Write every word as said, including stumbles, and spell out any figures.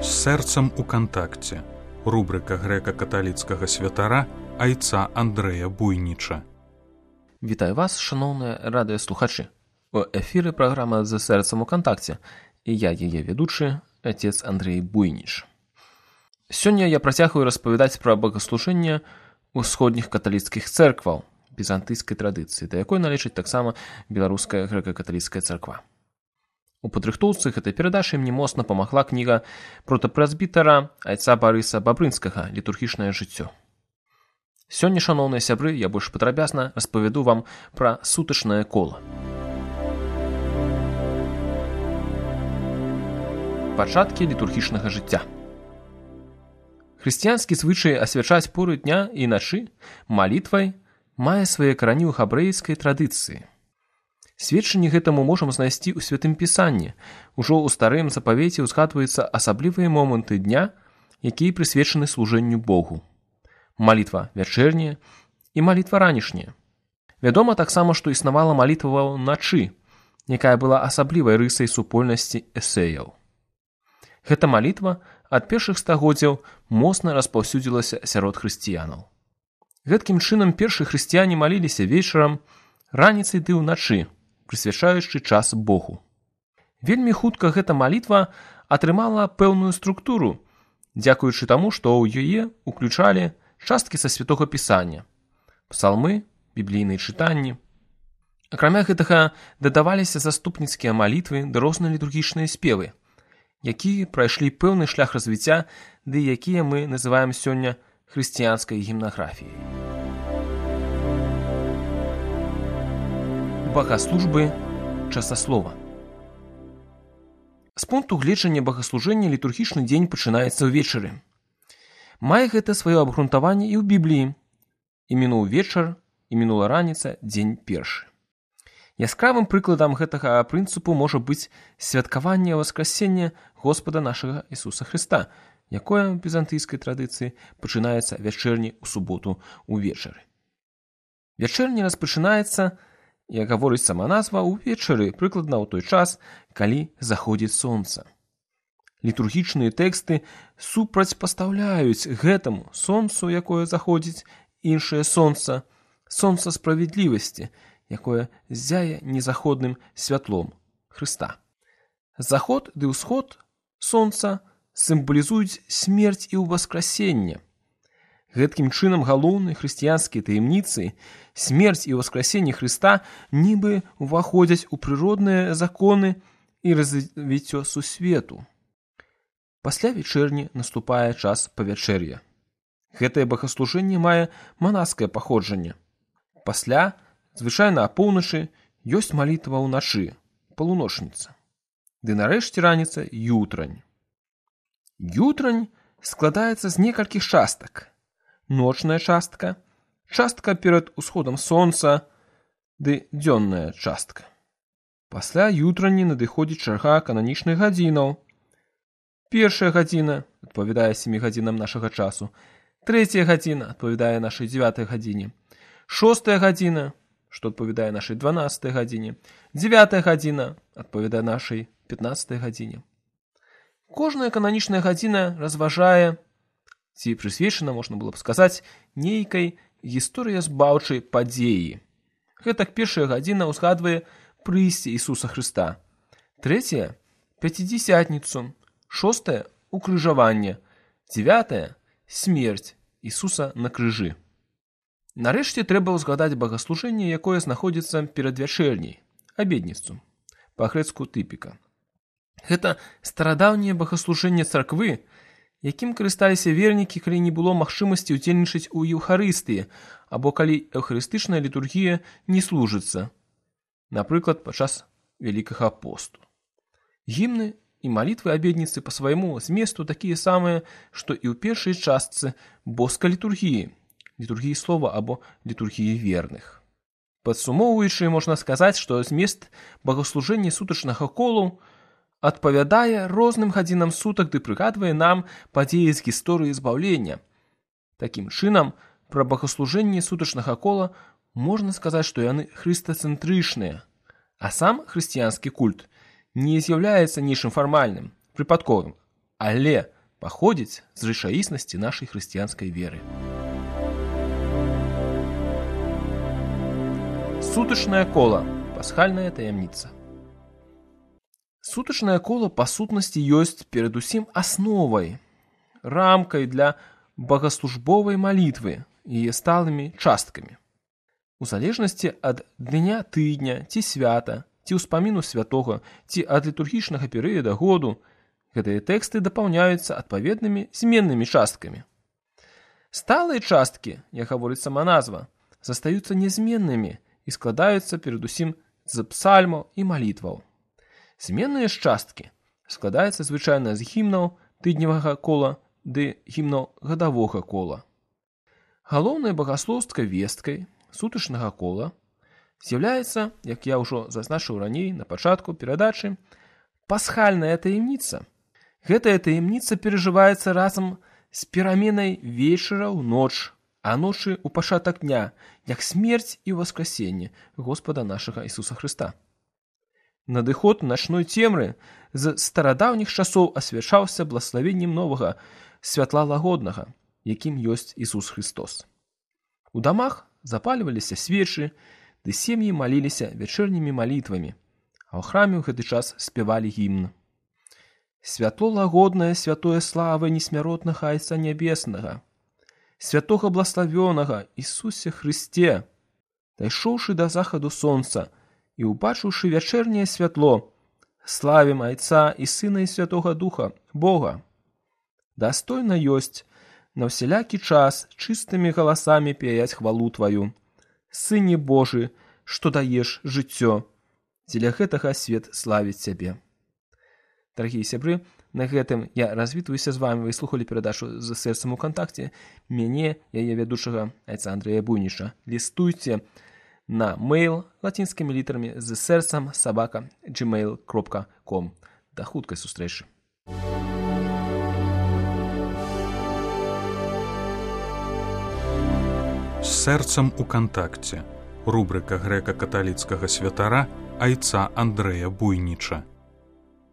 З сэрцам у кантакце. Рубрика грэка-каталіцкага святара айца Андрэя Буйніча. Вітаю вас, шановныя радыёслухачы. У эфіры праграма «З сэрцам у кантакце» і я, яе ведучы, отец Андрей Буйніч. Сёння я працягваю распавядаць пра богаслужэнне ўсходніх каталіцкіх цэркваў візантыйскай традыцыі, да якой належыць таксама беларуская грэка-каталіцкая царква. У падрыхтоўцы гэтай перадачы мне моцна памагла кніга протапрэзбітара айца Барыса Бабрынскага «Літургічнае жыццё». Сёння, шаноўныя сябры, я больш падрабязна распавяду вам пра сутачнае кола. Пачаткі літургічнага жыцця. Хрысціянскі звычай асвячаць поры дня і начы малітвай мае свае карані ў габрэйскай традыцыі. Сведчанні гэтаму можам знайсці ў Святым Пісанні. Ужо ў старым запавеце ўзгадваюцца асаблівыя моманты дня, якія прысвечаны служэнню Богу. Малітва вячэрняя і малітва ранішняя. Вядома таксама, што існавала малітва ўначы, якая была асаблівай рысай супольнасці эсэяў. Гэта малітва ад першых стагоддзяў моцна распаўсюдзілася сярод хрысціянаў. Гэткім чынам першыя хрысціяне маліліся вечарам, раніцай ды ўначы, прысвячаючы час Богу. Вельмі хутка гэта малітва атрымала пэўную структуру, дзякуючы таму, што ў яе ўключалі часткі са Святога Пісання, псалмы, біблійныя чытанні. Акрамя гэтага дадаваліся заступніцкія малітвы ды розныя літургічныя спевы, якія прайшлі пэўны шлях развіцця, ды якія мы называем сёння хрысціянскай гімнаграфіяй. Богаслужбы часаслова. З пункту гледжання богаслужэння літургічны дзень пачынаецца ўвечары. Мае гэта сваё абгрунтаванне і ў Бібліі. І мінуў вечар, і мінула раніца, дзень першы. Яскравым прыкладам гэтага прынцыпу можа быць святкаванне васкрасення Господа нашага Ісуса Хрыста, якое ў візантыйскай традыцыі пачынаецца вячэрні ў суботу ўвечары. Вячэрня распачынаецца, як гаворыць сама назва, увечары, прыкладна ў той час, калі заходзіць сонца. Літургічныя тэксты супрацьпастаўляюць гэтаму сонцу, якое заходзіць, іншае сонца, сонца справядлівасці, якое ззяе незаходным святлом Хрыста. Заход ды ўсход сонца сімвалізуюць смерць і ўваскрасенне. Гэткім чынам галоўныя хрысціянскія таямніцы, смерць і ўваскрасенне Хрыста нібы ўваходзяць у прыродныя законы і развіццё сусвету. Пасля вечэрні наступае час павячэр'я. Гэтае богаслужэнне мае манаскае паходжанне. Пасля, звычайна апоўначы, ёсць малітва ўначы, палуночніца. Ды нарэшце раніца ютрань. Ютрань складаецца з некалькіх частак. Ночная частка, частка перад усходам сонца, ды дзённая частка. Пасля ютрані надыходзіць чарга кананічных гадзінаў. Першая гадзіна адпавядае сямі гадзінам нашага часу, трэцяя гадзіна адпавядае нашай дзевятай гадзіне, шостая гадзіна, што адпавядае нашай дванаццатай гадзіне, дзевятая гадзіна адпавядае нашай пятнаццатай гадзіне. Кожная кананічная гадзіна разважае, ці прысвечана, можна было б сказаць, нейкай гісторыязбаўчай падзеі. Гэтак першая гадзіна ўзгадвае прыйсце Ісуса Хрыста, трэцяя – пяцідзясятніцу, шостая – укрыжаванне, дзевятая – смерць Ісуса на крыжы. Нарэшце трэба ўзгадаць богаслужэнне, якое знаходзіцца перад вячэрняй, абедніцу, па-грэцку тыпіка. Гэта старадаўняе богаслужэнне царквы, якім карысталіся вернікі, калі не было магчымасці ўдзельнічаць у еўхарыстыі, або калі эўхарыстычная літургія не служыцца, напрыклад, падчас Вялікага посту. Гімны і малітвы абедніцы па свайму зместу такія самыя, што і ў першай частцы боскай літургіі, літургіі слова або літургіі верных. Падсумоўваючы, можна сказаць, што змест богаслужэння сутачнага колу адпавядае розным гадзінам сутак ды прыгадвае нам падзеі з гісторыі збаўлення. Такім чынам, пра богаслужэнне сутачнага кола можна сказаць, што яны хрыстацэнтрычныя, а сам хрысціянскі культ не з'яўляецца нечым фармальным, прыпадковым, але паходзіць з рэчаіснасці нашай хрысціянскай веры. Сутачнае кола. Пасхальная таямніца. Сутачнае кола па сутнасці ёсць перадусім асновай, рамкай для богаслужбовай малітвы і сталымі часткамі. У залежнасці ад дня тыдня ці свята, ці ўспаміну святога, ці ад літургічнага перыяда году, гэтыя тэксты дапаўняюцца адпаведнымі зменнымі часткамі. Сталыя часткі, як гаворыць сама назва, застаюцца нязменнымі і складаюцца перадусім з псальмаў і малітваў. Зменныя ж часткі складаюцца звычайна з гімнаў тыдневага кола ды гімнаў гадавога кола. Галоўнай багаслоўскай весткай сутачнага кола з'яўляецца, як я ўжо зазначыў раней на пачатку перадачы, пасхальная таямніца. Гэтая таямніца перажываецца разам з пераменай вечара ў ноч, а ночы ў пачатак дня, як смерць і ўваскрасенне Господа нашага Ісуса Хрыста. Надыход начной цемры з старадаўніх часоў асвячаўся блаславеннем новага святла лагоднага, якім ёсць Ісус Христос. У дамах запальваліся свечы, ды сем'і маліліся вячэрнімі малітвамі, а ў храме ў гэты час спявалі гімн. Святло лагоднае, святое славы несмяротнага Айца Нябеснага, святога блаславёнага Ісусе Христе, дайшоўшы да захаду сонца і убачыўшы вячэрняе святло, славім Айца і Сына і Святога Духа, Бога. Дастойна ёсць на ўсялякі час чыстымі галасамі пяяць хвалу Тваю, Сыне Божы, што даеш жыццё, дзеля гэтага свет славіць Цябе. Дарагія сябры, на гэтым я развітваюся з вамі. Вы слухалі перадачу «З сэрцам у кантакце». Мяне, яе вядучага Айца Андрэя Буйніча. Лістуйце на мэйл лацінскімі літарамі з сэрцам сабака джимейл кропка ком. Да хуткай сустрэчы. З сэрцам у кантакце. Рубрыка грэка-каталіцкага святара Айца Андрэя Буйніча.